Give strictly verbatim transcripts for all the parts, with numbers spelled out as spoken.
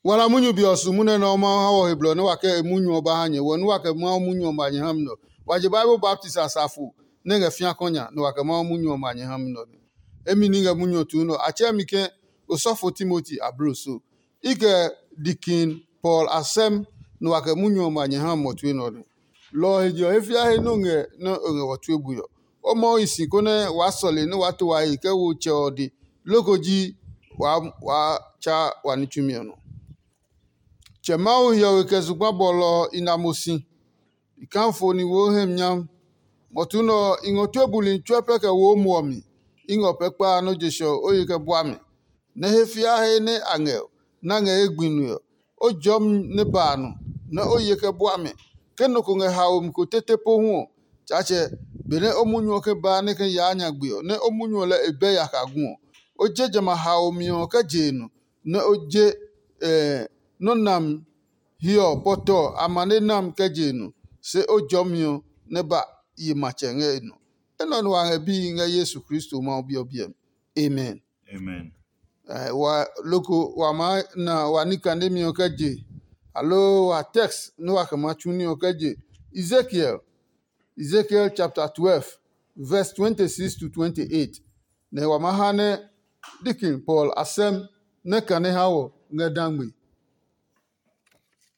Kpɔla munyu be ɔ su munyu nɛ Mawu ha wɔ he blɔ nɛ wa kɛ e munyu ɔ ba ha nyɛ, wɔ nɛ wa kɛ Mawu munyu ɔ ma nyɛ ha mi nɛ ɔ. Wa je Bible baptisi a safo nɛ ngɛ fĩa kɔ nya, nɛ wa kɛ Mawu munyu ɔ ma nyɛ ha mi nɛ ɔ. Emi ní ngɛ munyu ɔ tuu nɛ ɔ, a tsɛɛ mi ke osɔfo Timoti ablo so. I kɛ Dikin Paul a sɛm, nɛ wa kɛ munyu ɔ ma nyɛ ha mi ɔ tue nɛ ɔ. Lɔ ɔ he je ɔ, he fia he nɛ o ngɛ nɛ o ngɛ wɔ tue bui ɔ, o Mawu hi si konɛ waa sɔle nɛ waa to wa he kɛ wo Tsɛ ɔ de, loko ji waa tsa wa ní tsumi ɔ nɔ. Tsɛ Mawu hiɔwe kɛ zugba bɔlɔ ɔ i na mo si. I kafo ni wo hɛmi nyam. Mɔtu nɛ ɔ, i ngɔ tue buli tsuɛ pɛ kɛ wo mo ɔ mi. I ngɔ pɛ kpa a nɔ́ je sɛ ɔ, o ye kɛ bua mi. Nɛ he fia he nɛ a ngɛ ɔ, nɛ a ngɛ ye gbi nue ɔ, o jɔmi nɛ ba a nɔ, nɛ o ye kɛ bua mi. Ke nɔ ko ngɛ haomi ko tete pohu ɔ, Tsaatsɛ, benɛ o munyu ɔ ke baa nɛ ke yaa nyagbe ɔ, nɛ o munyu ɔ lɛ e bɛ yaka gu ɔ, o je jamɛ a haomi ɔ kɛ je e nɔ, nɛ o je nɔ́ nami hiɔ pɔtɔ amane nami kɛ je e nɔ, se o jɔmi ɔ nɛ ba yi matsɛ ngɛ e nɔ. Enɛ ɔ nɛ wa ngɛ bihi ngɛ Yesu Kristo Mawu Bi ɔ biɛ mi. Amen. Amen. Wa loko wa maa na wa ní kanemi ɔ kɛ je, aloo wa text nɛ wa kɛ maa tsu ní ɔ kɛ je Ezekiel, Ezekiel chapter twelve, verse twenty-six to twenty-eight. Nɛ wa maa ha nɛ Deacon Paul a sɛm nɛ kane ha wɔ ngɛ dangbe.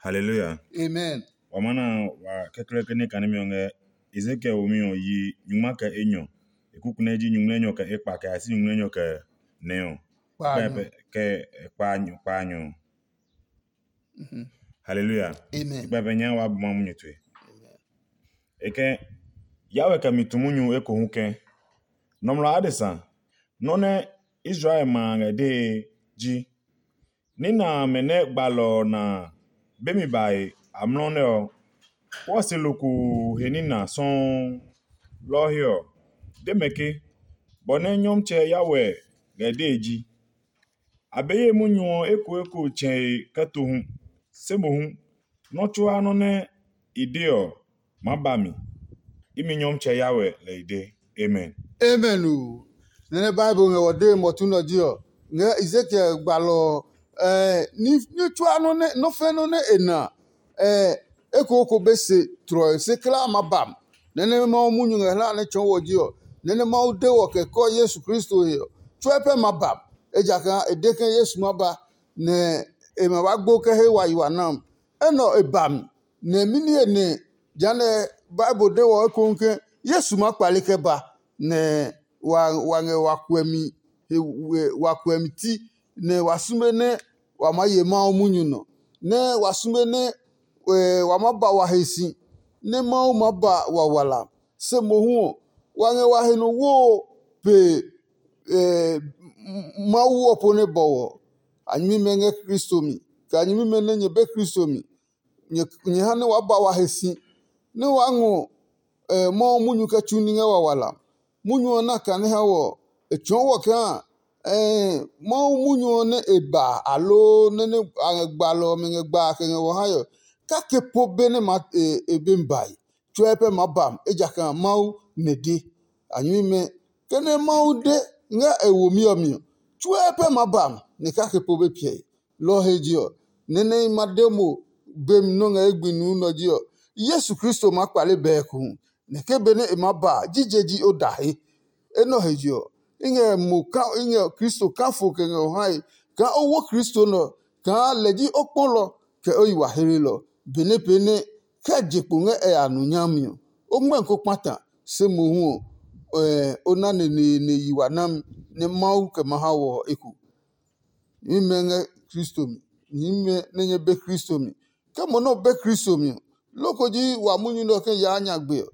Hallelujah. Amen. Wa maa na wa kɛkɛlɛkɛ ní kanemi ɔ ngɛ Ezekiel womi ɔ yi nyungma kɛ enyɔ. E kuku nɛ ji nyungmlɛnyɔ kɛ ekpa kɛ a si nyungmlɛnyɔ kɛ nɛ ɔ. Kpaanyɔ. Kɛ kpaanyɔ kpaanyɔ. Hallelujah. Amen. Kpɛpɛ nya wa bu ma munyu tue. E kɛ Yahweh kɛ mi tu munyu ekohu kɛ nɔmlɔ adesa nɔ́ nɛ Israel ma a ngɛ dee ji ní nɛ amɛ nɛ gbalɔ ɔ na a be mi bae amlɔ nɛ ɔ, wɔɔ si lokoo he ní na sɔuu. Lɔ ɔ he ɔ, de mɛ ke, bɔ nɛ Nyɔmtsɛ Yahweh ngɛ dee ji. A be ye munyu ɔ ekoeko tsɛe kɛ to hu, se mohu nɔ́ tsuaa nɔ́ nɛ i de ɔ maa ba mi. Imi Nyɔmtsɛ Yahweh lɛ i de. Amen. Amen o. Nɛ nɛ Bible ngɛ wɔ dee mɔtu nɛ ɔ ji ɔ, ngɛ Ezekiel gbalɔ ɔ, ɛɛ, ní ní tsuaa nɔ́ nɛ nɔ́ fɛ́ nɔ́ nɛ e na ɔ, ekooko be se tlɔe se kulaa ma ba mi. Nɛ nɛ Mawu munyu ngɛ hla nɛ tsɔɔ wɔ ji ɔ, nɛ nɛ Mawu de wɔ kɛ kɔ Yesu Kristo he ɔ, tsuɛ pɛ ma ba mi. Ejakaa e de ke Yesu ma ba, nɛ e ma ba gbo kɛ he wa yi wa na mi. Enɛ ɔ e ba mi, nɛ mɛni he nɛ jehanɛ Bible de wɔ ekohu ke Yesu maa kpale kɛ ba, nɛ wa wa ngɛ wa kuɛmi he wa kuɛmi ti, nɛ wa sume nɛ wa maa ye Mawu munyu nɔ, nɛ wa sume nɛ wa maa ba wa he si, nɛ Mawu maa ba wa wala. Se mohu ɔ, wa ngɛ wa he nɔ woo pe Mawu ɔ po nɛ bɔwɔ. A nyɛmimɛ ngɛ Kristo mi, kɛ a nyɛmimɛ nɛ nyɛ be Kristo mi. Nyɛ ha nɛ waa ba wa he si, nɛ waa ngɔ Mawu munyu kɛ tsu ní ngɛ wa wala. Munyu ɔ na kane ha wɔ ɔ, e tsɔɔ wɔ kaa Mawu munyu ɔ nɛ e ba aloo nɛ nɛ a ngɛ gbalɔ ɔmɛ ngɛ gba a kɛ ngɛ wɔ hae ɔ, kake po be nɛ ma e be mi bae. Tsuɛ pɛ maa ba mi, ejakaa Mawu nɛ de. A nyɛmimɛ, ke nɛ Mawu de ngɛ e womi ɔ mi ɔ, tsuɛ pɛ maa ba mi, nɛ kake po be piɛe. Lɔ ɔ he je ɔ, nɛ nɛ i ma de mo be mi nɔ́ ngɛ ye gbi nuu nɛ ɔ ji ɔ, Yesu Kristo maa kpale bɛɛkuhu, nɛ ke benɛ e maa ba a, jije ji o da he. Enɛ ɔ he je ɔ, i ngɛ mo ka i ngɛ Kristo kafo kɛ ngɛ o hae kaa o wo Kristo nɛ ɔ, kaa lɛ ji o kpɔlɔ kɛ o yi wa heelɔ. Benɛ pee nɛ kɛ je kpo ngɛ ɛ ya nu nyami ɔ, o ngmɛmi ko kpata, se mohu ɔ, o na neneene yi wa nami nɛ Mawu kɛ ma ha wɔ ɔ eko. Nyɛmimɛ ngɛ Kristo mi, nyɛmimɛ nɛ nyɛ be Kristo mi. Ke mo nɛ o be Kristo mi ɔ, loko ji wa munyu nɛ ɔ ke yaa nyagbe ɔ,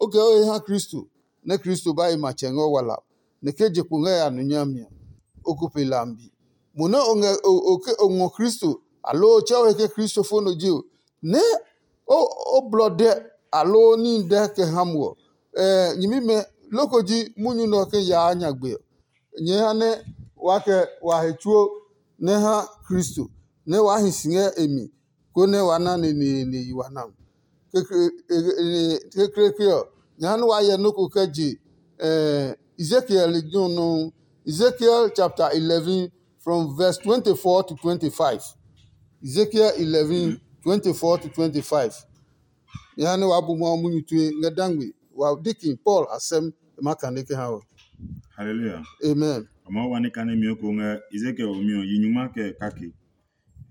o kɛ o he ha Kristo, nɛ Kristo ba yi matsɛ ngɛ o wala ɔ, nɛ ke je kpo ngɛ ya nu nyami ɔ, o ko pe lambi. Mo nɛ o ngɛ o ke o ngɔ Kristo, aloo o tsɛ o he ke Kristo fo nɔ ji ɔ, nɛ o blɔ dɛ aloo níhi dɛ kɛ ha mo ɔ, nyɛmimɛ loko ji munyu nɛ ɔ ke yaa nyagbe ɔ. Nyɛɛ ha nɛ waa kɛ wa he tsuo nɛ ha Kristo, nɛ waa hi si ngɛ e mi, konɛ wa na neneene yi wa na. Kekleekle ɔ, nyɛ ha nɛ waa hyɛ nɔ́ ko kɛ je Ezekiel lejɛ ɔ nɔuu. Ezekiel chapter eleven, from verse twenty-four to twenty-five. Ezekiel eleven, twenty-four to twenty-five. Jehanɛ waa bu Mawu munyu tue ngɛ dangbe. Wa deacon Paul asɛm e ma kane kɛ ha wɔ. Hallelujah. Amen. Ɔmɔ wa ne kane mi ko ngɛ Ezekiel ɔ mi ɔ yi nyuma kɛ kake.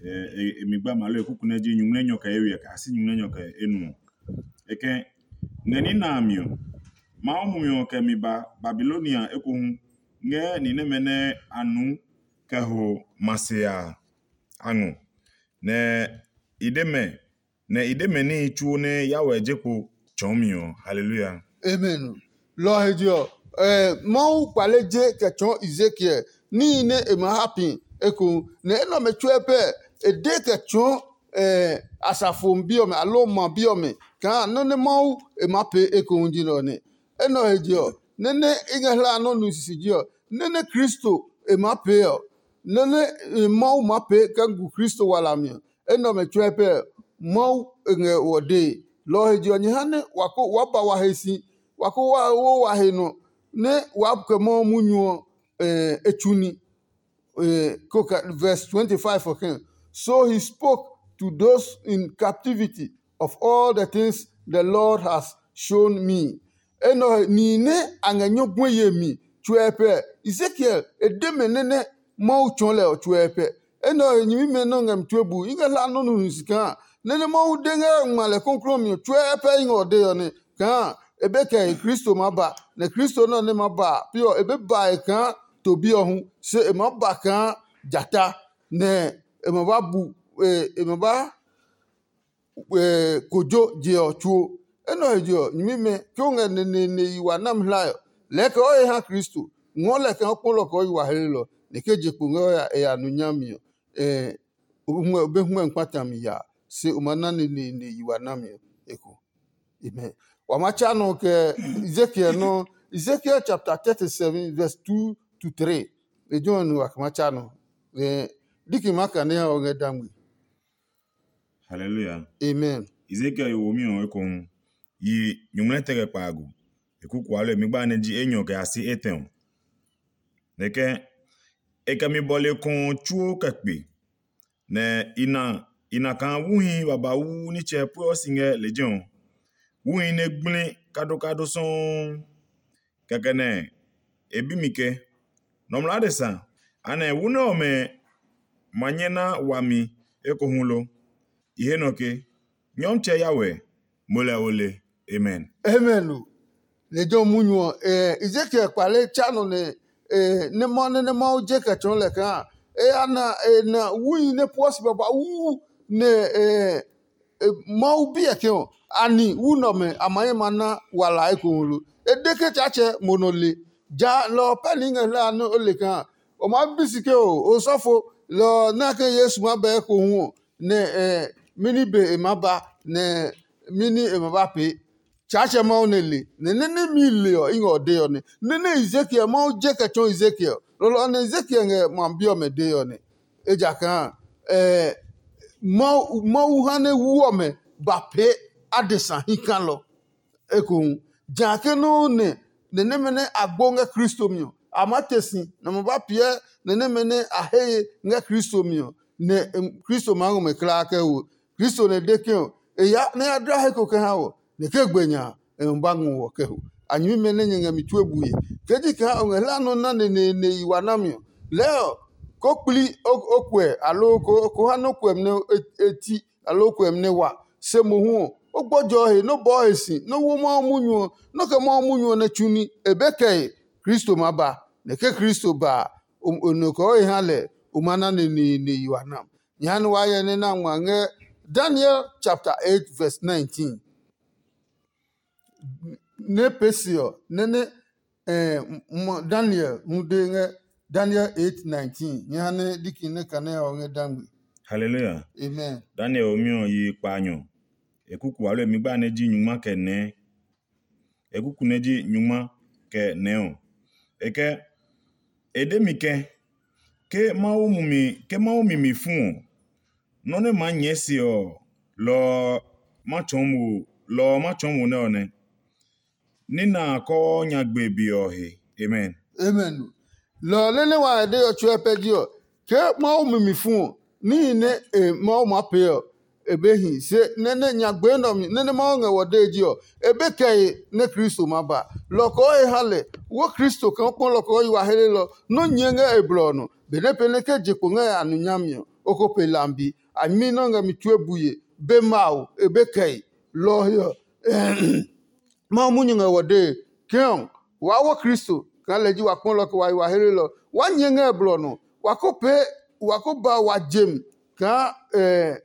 E mi gba malo e kuku nɛ ji nyumu nɛ nyɔ kɛ e wiɛ kɛ asi nyumu nɛ nyɔ kɛ e nu. E kɛ ngɛ ni na a mi ɔ, Mawu mumi ɔ kɛ mi ba Babilonia ekohu ngɛ ni nɛmɛ nɛ a nu kɛ ho ma se a a ngɔ. Nɛ i de mɛ nɛ i de mɛ níhi tsuo nɛ Yahweh je kpo tsɔɔmi ɔ. Haleluya. Amen. Lɔ ɔ he je ɔ, Mawu kpale je kɛ tsɔɔ Ezekiel níhi nɛ e ma ha pi ekohu, nɛ enɛ ɔmɛ tsuɛ pɛ e de kɛ tsɔɔ asafo bi ɔmɛ aloo ma bi ɔmɛ kaa nɔ́ nɛ Mawu e maa pee ekohu ji nɛ ɔ nɛ. Enɛ ɔ he je ɔ, nɛ nɛ i ngɛ hlaa nɔ́ nu sisiji ɔ, nɛ nɛ Kristo e maa pee ɔ, nɛ nɛ Mawu maa pee kɛ gu Kristo wala mi ɔ, enɛ ɔmɛ tsuɛ pɛ Mawu e ngɛ wɔ dee. Lɔ ɔ he je ɔ, nyɛ ha nɛ wa ko waa ba wa he si, wa ko waa wo wa he nɔ, nɛ waa kɛ Mawu munyu ɔ e tsu ní. Verse twenty-five ɔ kɛ̃. So he spoke to those in captivity of all the things the Lord has shown me. Enɛ ɔ he nihi nɛ a ngɛ nyɔguɛ yemi tsuɛ pɛ, Ezekiel e de mɛ nɛ nɛ Mawu tsɔɔ lɛ ɔ tsuɛ pɛ. Enɛ ɔ he nyɛmimɛ nɛ ɔ ngɛ mi tue bu, i ngɛ hla nɔ́ nɔ nu si kaa nɛ nɛ Mawu de ngɛ ngma lɛ kɔklɔɔ mi ɔ tsuɛ pɛ i ngɛ ɔ dee ɔ nɛ kaa e be kɛ he Kristo maa ba, nɛ Kristo nɛ ɔ nɛ ma ba a pi ɔ, e be ba e kaa to bi ɔ hu, se e maa ba kaa jata, nɛ e ma ba bu e ma ba kojo je ɔ tsuo. Enɛ ɔ he je ɔ, nyɛmimɛ ke o ngɛ neneene yi wa nami hlae ɔ, lɛɛ kɛ o he ha Kristo, ngɔɔ lɛ kaa o kpɔlɔ kɛ o yi wa helenɔ, nɛ ke je kpo ngɛ o ya e ya nu nyami ɔ, o be hwɛ kpata mi ya, se o ma na neneene yi wa nami ɔ eko. Amen. Wa ma tsa nɔ kɛ Ezekiel nɔ, Ezekiel chapter thirty-seven verse two to three. Lejɛ ɔ nu wa kɛ ma tsa nɔ. Diki ma kane ha o ngɛ dangbe. Hallelujah. Amen. Ezekiel yo womi ɔ ekohu yi nyuŋmlɛ tɛ kɛ kpaago. E kuku alo e mi gba nɛ ji enyɔ kɛ a si etɛ ɔ. Nɛ kɛ e kɛ mi bɔle kɔɔ tsuo kɛ kpe, nɛ i na i na kaa wuhi babauu nitsɛ pueɔ si ngɛ lejɛ ɔ. Wuhi nɛ gble kadokado sɔuu. Kɛkɛ nɛ e bi mi ke, nɔmlɔ adesa, anɛ wu nɛ ɔmɛ ma nyɛ na wami ekohu lo? I he nɔ ke, Nyɔmtsɛ Yahweh, mo lɛ o le. Amen. Amen o. Lejɛ ɔ munyu ɔ, Ezekiel kpale tsa nɔ nɛ nɛ ma nɛ nɛ Mawu je kɛ tsɔɔ lɛ kaa e ya na e na wui nɛ puɔ si babauu nɛ Mawu biɛ ke ɔ, ani wu nɛ ɔmɛ a ma ye ma na wala ekohu lo? E de ke Tsaatsɛ mo nɔ le. Ja lɔ ɔ pɛ ni i ngɛ hlaa nɛ o le kaa o maa bi si ke o osɔfo lɔ ɔ nɛ a ke Yesu maa ba ekohu ɔ, nɛ mɛni be e maa ba, nɛ mɛni e ma ba pee. Tsaatsɛ Mawu nɛ le, nɛ nɛ nɛmi le ɔ, i ngɛ ɔ dee ɔ nɛ. Nɛ nɛ Ezekiel Mawu je kɛ tsɔɔ Ezekiel, lɔlɔ ɔ nɛ Ezekiel ngɛ ma bi ɔmɛ dee ɔ nɛ. Ejakaa Mawu ha nɛ wu ɔmɛ ba pee adesa hikalɔ. Ekohu, ja ke nɔuu nɛ nɛ nɛmɛ nɛ a gbo ngɛ Kristo mi ɔ, a maa te si, nɛ a ma ba piɛ nɛ nɛmɛ nɛ a he ye ngɛ Kristo mi ɔ, nɛ Kristo maa ngɔ mɛ kulaa kɛ ho. Kristo nɛ de ke ɔ, e ya nɛ ya dla he ko kɛ ha wɔ, nɛ ke gbe nya a, e ma ba ngɔ wɔ kɛ ho. A nyɛmimɛ nɛ nyɛ ngɛ mi tue bue. Ke ji kaa o ngɛ hla nɔ na neneene yi wa nami ɔ, lɛɛ ɔ, ko kpli o kuɛ, aloo ko ha nɔ́ kuɛmi nɛ e ti, aloo kuɛmi nɛ wa. Se mohu ɔ, o gbɔjɔ he, nɔ́ bɔɔ he si, nɔ́ wo Mawu munyu ɔ, nɔ́ kɛ Mawu munyu ɔ nɛ tsu ní, e be kɛ he. Kristo maa ba, nɛ ke Kristo ba a, o nɔ kɛ o he ha lɛ, o ma na neneene yi wa nam. Jehanɛ waa hyɛ nɛ na ngma ngɛ Daniel chapter eight verse nineteen. Nɛ pee se ɔ, nɛ nɛ Daniel hu de ngɛ Daniel eight nineteen. Nyɛ ha nɛ diki nɛ kane ɔ ngɛ dangbe. Hallelujah. Amen. Daniel ɔ mi ɔ yi kpaanyɔ. E kuku alo e mi gba nɛ ji nyungma kɛ nɛɛ. E kuku nɛ ji nyungma kɛ nɛɛ ɔ. E kɛ e de mi ke ke Mawu mumi ke Mawu mi mi fu ɔ, nɔ́ nɛ maa nyɛɛ se ɔ, lɔ ɔ ma tsɔɔ mo lɔ ɔ ma tsɔɔ mo nɛ ɔ nɛ. Ní nɛ a kɔɔ nyagbe be ɔ he. Amen. Amen. Lɔ ɔ nɛ nɛ wa ngɛ dee ɔ tsuɛ pɛ ji ɔ, ke Mawu mi mi fu ɔ, níhi nɛ e Mawu maa pee ɔ, e be hi. Se nɛ nɛ nyagbe nɛ ɔ mi nɛ nɛ Mawu ngɛ wɔ dee ji ɔ, e be kɛe nɛ Kristo ma ba. Lɔ ɔ kɔɔ he ha lɛ wo Kristo kaa kpɔ lɔ ɔ kɔɔ yi wa helelɔ nɔ́ nyɛɛ ngɛ e blɔ ɔ nɔ. Benɛ pee nɛ ke je kpo ngɛ a nu nyami ɔ, o ko pe lambi. A nyɛmi nɛ ɔ ngɛ mi tue bue be mawo e be kɛe. Lɔ ɔ he ɔ, Mawu munyu ngɛ wɔ dee ke ɔ, waa wo Kristo kaa lɛ ji wa kpɔlɔ kɛ wa yi wa helelɔ. Waa nyɛ ngɛ blɔ nɔ. Wa ko pee, wa ko ba wa jem kaa nɛ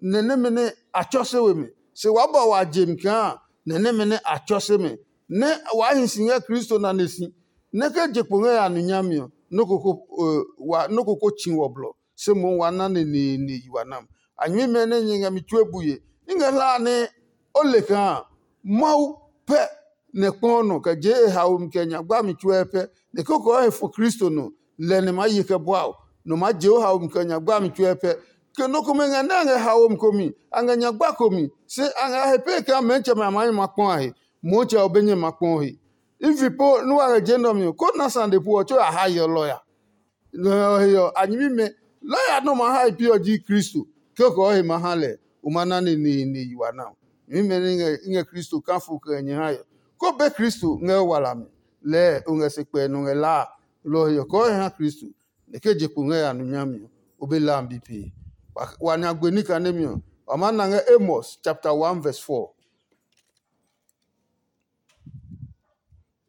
nɛmɛ nɛ a tsɔ se we mi. Se waa ba wa jem kaa nɛ nɛmɛ nɛ a tsɔ se mi. Nɛ waa hi si ngɛ Kristo nane si. Nɛ ke je kpo ngɛ ya nu nyami ɔ, nɔ́ ko ko tsi wɔ blɔ. Se mohu wa na neneene yi wa nam. A nyɛmimɛ nɛ nyɛ ngɛ mi tue bue. I ngɛ hlaa nɛ o le kaa Mawu pɛ nɛ kpɔ nɔ kɛ je e haomi kɛ nya gbami tsuɛ pɛ, nɛ koko ɔ he fɔ Kristo nɔ, lɛ nɛ maa ye kɛ bua o, nɔ maa je o haomi kɛ nya gbami tsuɛ pɛ. Ke nɔ komɛ ngɛ nɛ a ngɛ haomi komi, a ngɛ nya gba komi, se a ngɛ a he pee kaa mɛntsɛmɛ a maa nyɛ ma kpɔ a he, Mɔtsɛ ɔ be nyɛ ma kpɔ he. Ifi po nɛ wa ngɛ je nɛ ɔ mi ɔ, ko na sane pu ɔ, tso a ha yeɔ lɔya. Lɔ ɔ he ɔ, a nyɛmimɛ lɔya nɛ ɔ ma ha e pi ɔ ji Kristo. Ke o kɛ ɔ he ma ha lɛ, o ma na neneene yi wa na. Nyɛmimɛ nɛ i ngɛ Kristo kafo kɛ ngɛ nyɛ hae ɔ, ko be Kristo ngɛ o wala mi. Lɛɛ o ngɛ se kpɛɛ nɔ ngɛ laa a. Lɔ ɔ he ɔ, kɔɔ he ha Kristo, nɛ ke je kpo ngɛ ya nu nyami ɔ, o be la mi bi pee. Wa nya gbe ní kanemi ɔ, wa maa na ngɛ Amos chapter one verse four.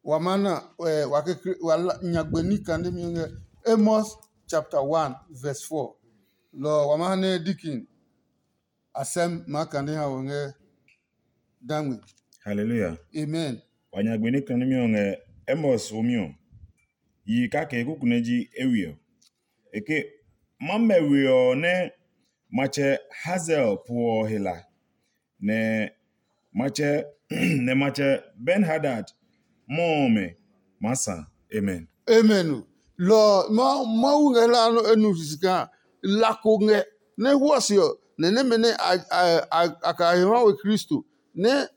Wa maa na eh, wa kekle wa la- nya gbe ní kanemi ɔ ngɛ Amos chapter one verse four. Lɔ ɔ, wa maa ha nɛ Dikin asɛm maa kane ha wɔ ngɛ dangme. Hallelujah. Amen. Wa nya gbe ní kanemi ɔ ngɛ Amos womi ɔ. Yi kake kuku nɛ ji ewe ɔ. Eke ma mɛ we ɔ nɛ matsɛ Hazel puɔ ɔ he la, nɛ matsɛ nɛ matsɛ Ben Hadad mɔ ɔmɛ maa sa. Amen. Amen o. Lɔ ɔ, Mawu ngɛ hlaa nɔ e nu sisi kaa la ko ngɛ nɛ huɔ se ɔ, nɛ nɛmɛ nɛ a ka he ha we Kristo nɛ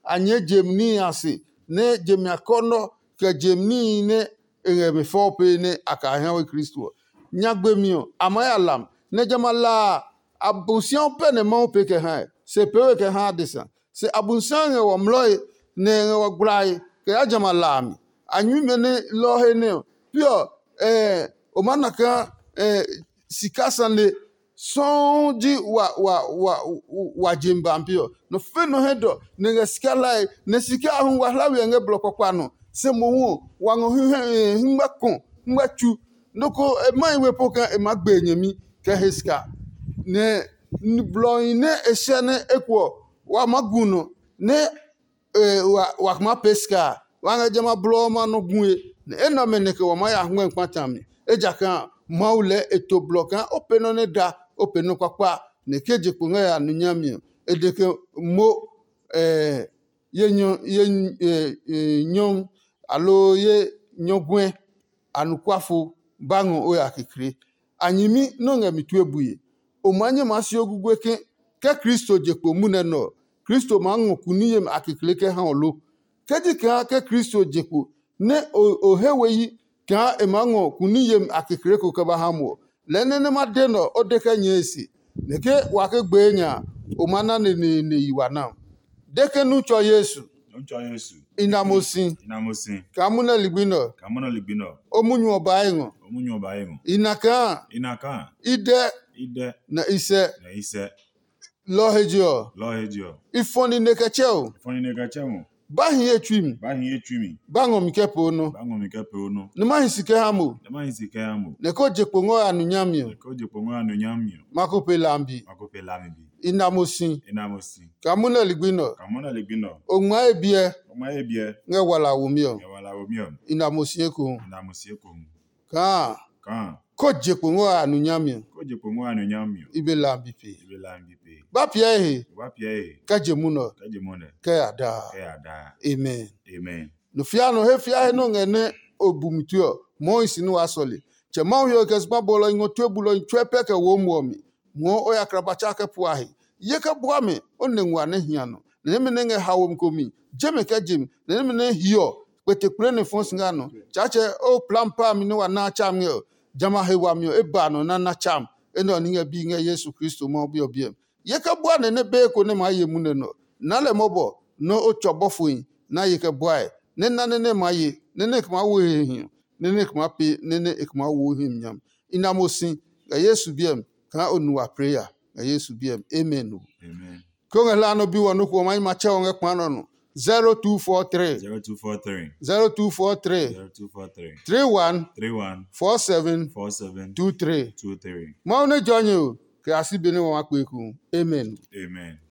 a nyɛɛ je mi níhi a se, nɛ je mi akɔnɔ kɛ je mi níhi nɛ e ngɛ mi fɔ pee nɛ a ka he ha we Kristo ɔ. Nyagbe mi ɔ, a maa ya lam, nɛ jamɛ a la a, Abosiaɔ pɛ nɛ Mawu pee kɛ hae, se pee we kɛ ha adesa. Se Abosiaɔ ngɛ wɔ mlɔe, nɛ e ngɛ wɔ gblae kɛ ya jamɛ a la a mi. A nyuimɛ nɛ lɔ ɔ he nɛ ɔ, pi ɔ, o maa na kaa sika sane sɔuu ji wa wa wa wa je mi ba pe ɔ. Nɔ fɛ nɔ hɛ dɔ nɛ ngɛ sika lae, nɛ sika a hu wa hla we ɔ ngɛ blɔ kpakpa nɔ. Se mohu ɔ, wa ngɔ hingba kɔ hingba tsu. Nɔ ko e ma yi we po kaa e maa gbe e nyɛmi kɛ he sika. Nɛ blɔhi nɛ e sɛ nɛ eko ɔ, wa maa gu nɔ nɛ wa maa pee sika a, wa ngɛ jamɛ a blɔ ɔmɛ a nɔ gue, nɛ enɛ ɔmɛ nɛ kɛ wa maa ya ngmɛ́ kpata mi. Ejakaa Mawu lɛɛ e to blɔ kaa o pee nɔ́ nɛ da, o pee nɔ́ kpakpa, nɛ ke je kpo ngɛ ya nu nyami ɔ, e de ke mo ye nyɔ ye nyɔ aloo ye nyɔguɛ. Anɔkuafo ba ngɔ o ya kekle. A nyɛmi nɛ o ngɛ mi tue bue. O maa nyɛ maa si o gugue ke ke Kristo je kpo munɛ nɛ ɔ, Kristo maa ngɔ kuni yemi a kekle kɛ ha ɔ lo? Ke ji kaa ke Kristo je kpo nɛ o he we yi kaa e maa ngɔ kuni yemi a kekle ko kɛ ba ha mo ɔ, lɛɛ nɛ nɛ ma de nɛ ɔ, o de kɛ nyɛɛ e se. Nɛ ke wa ke gbee nya a, o maa na neneene yi wa na. De ke nu tsɔ Yesu. Nɔmtsɔ Yesu. I na mo si. I na mo si. Kaa munɛ ligbi nɛ ɔ. Kaa munɛ ligbi nɛ ɔ. O munyu ɔ ba e ngɔ. O munyu ɔ ba e ngɔ. I na kaa. I na kaa. I dɛ. I dɛ. Na i sɛ. Na i sɛ. Lɔ he je ɔ. Lɔ he je ɔ. I fɔ nine kɛ tsɛ o. I fɔ nine kɛ tsɛ o. Ba hi ye tsui mi. Ba hi ye tsui mi. Ba ngɔ mi kɛ poo nɔ. Ba ngɔ mi kɛ poo nɔ. Nɛ ma hi si kɛ ha mo. Nɛ ma hi si kɛ ha mo. Nɛ ko je kpo ngɔ ya nu nyami ɔ. Nɛ ko je kpo ngɔ ya nu nyami ɔ. Ma ko pe lambi. Ma ko pe lambi. I na mo si. I na mo si. Kaa munɛ ligbi nɛ ɔ. Kaa munɛ ligbi nɛ ɔ. O ngma ye biɛ. O ngma ye biɛ. Ngɛ wala womi ɔ. Ngɛ wala womi ɔ. I na mo si ekohu. I na mo si ekohu. Kaa. Kaa. Ko je kpo ngɔ a nu nyami ɔ. Ko je kpo ngɔ a nu nyami ɔ. I be la bi pe. I be la bi pe. Ba piɛ he. Ba piɛ he. Kɛ je mu nɔ. Kɛ je mu nɛ. Kɛ ya da. Kɛ ya da. Amen. Amen. No fia no he fia he no ngɛ nɛ o bu mi tue ɔ, mɔɔ hi si nɛ waa sɔle. Tsɛ Mawu he ɔ kɛ zugba bɔlɔ ngɔ tue bulɔ tsuɛ pɛ kɛ wo muɔ mi. Ngɔɔ o ya kraba tsa kɛ pua he. Ye kɛ bua mɛ, o nɛ nguaa nɛ hia nɔ. Nɛ nɛmɛ nɛ ngɛ haomi ko mi, je mɛ kɛ je mi, nɛ nɛmɛ nɛ hiɔ kpetekple nɛ fɔɔ si ngɛ a nɔ. Tsaatsɛ o plam pa mi nɛ wa na a tsa mi ngɛ ɔ, jamɛ a he wami ɔ, e ba nɔ nɛ a na tsa mi. Enɛ ɔ ní ngɛ bi ngɛ Yesu Kristo Mawu Bi ɔ biɛ mi. Ye kɛ bua nɛ nɛ bee ko nɛ maa ye munɛ nɔ. Na lɛ mɔbɔ nɛ o tsɔ bɔfohi na ye kɛ buae, nɛ na nɛ nɛ maa ye, nɛ nɛ e kɛ maa wo he hiɔ, nɛ nɛ e kɛ maa pee, nɛ nɛ e kɛ maa wo himi nyami. I na mo si ngɛ Yesu biɛ mi kaa o nu wa plee ya ngɛ Yesu biɛ mi. Amen o. Amen. Ke o ngɛ hlaa nɔ bi wɔ nɔ ko ɔ, ma yi ma tsɛ ɔ ngɛ kpa nɔ nɔ. zero two four three Zero two four three. zero two four three Zero two four three. three one Three one. four seven Four seven. two three. Two three. Mawu nɛ jɔ nyɛ o, kɛ a si be nɛ wa ma kpe ku. Amen. Amen.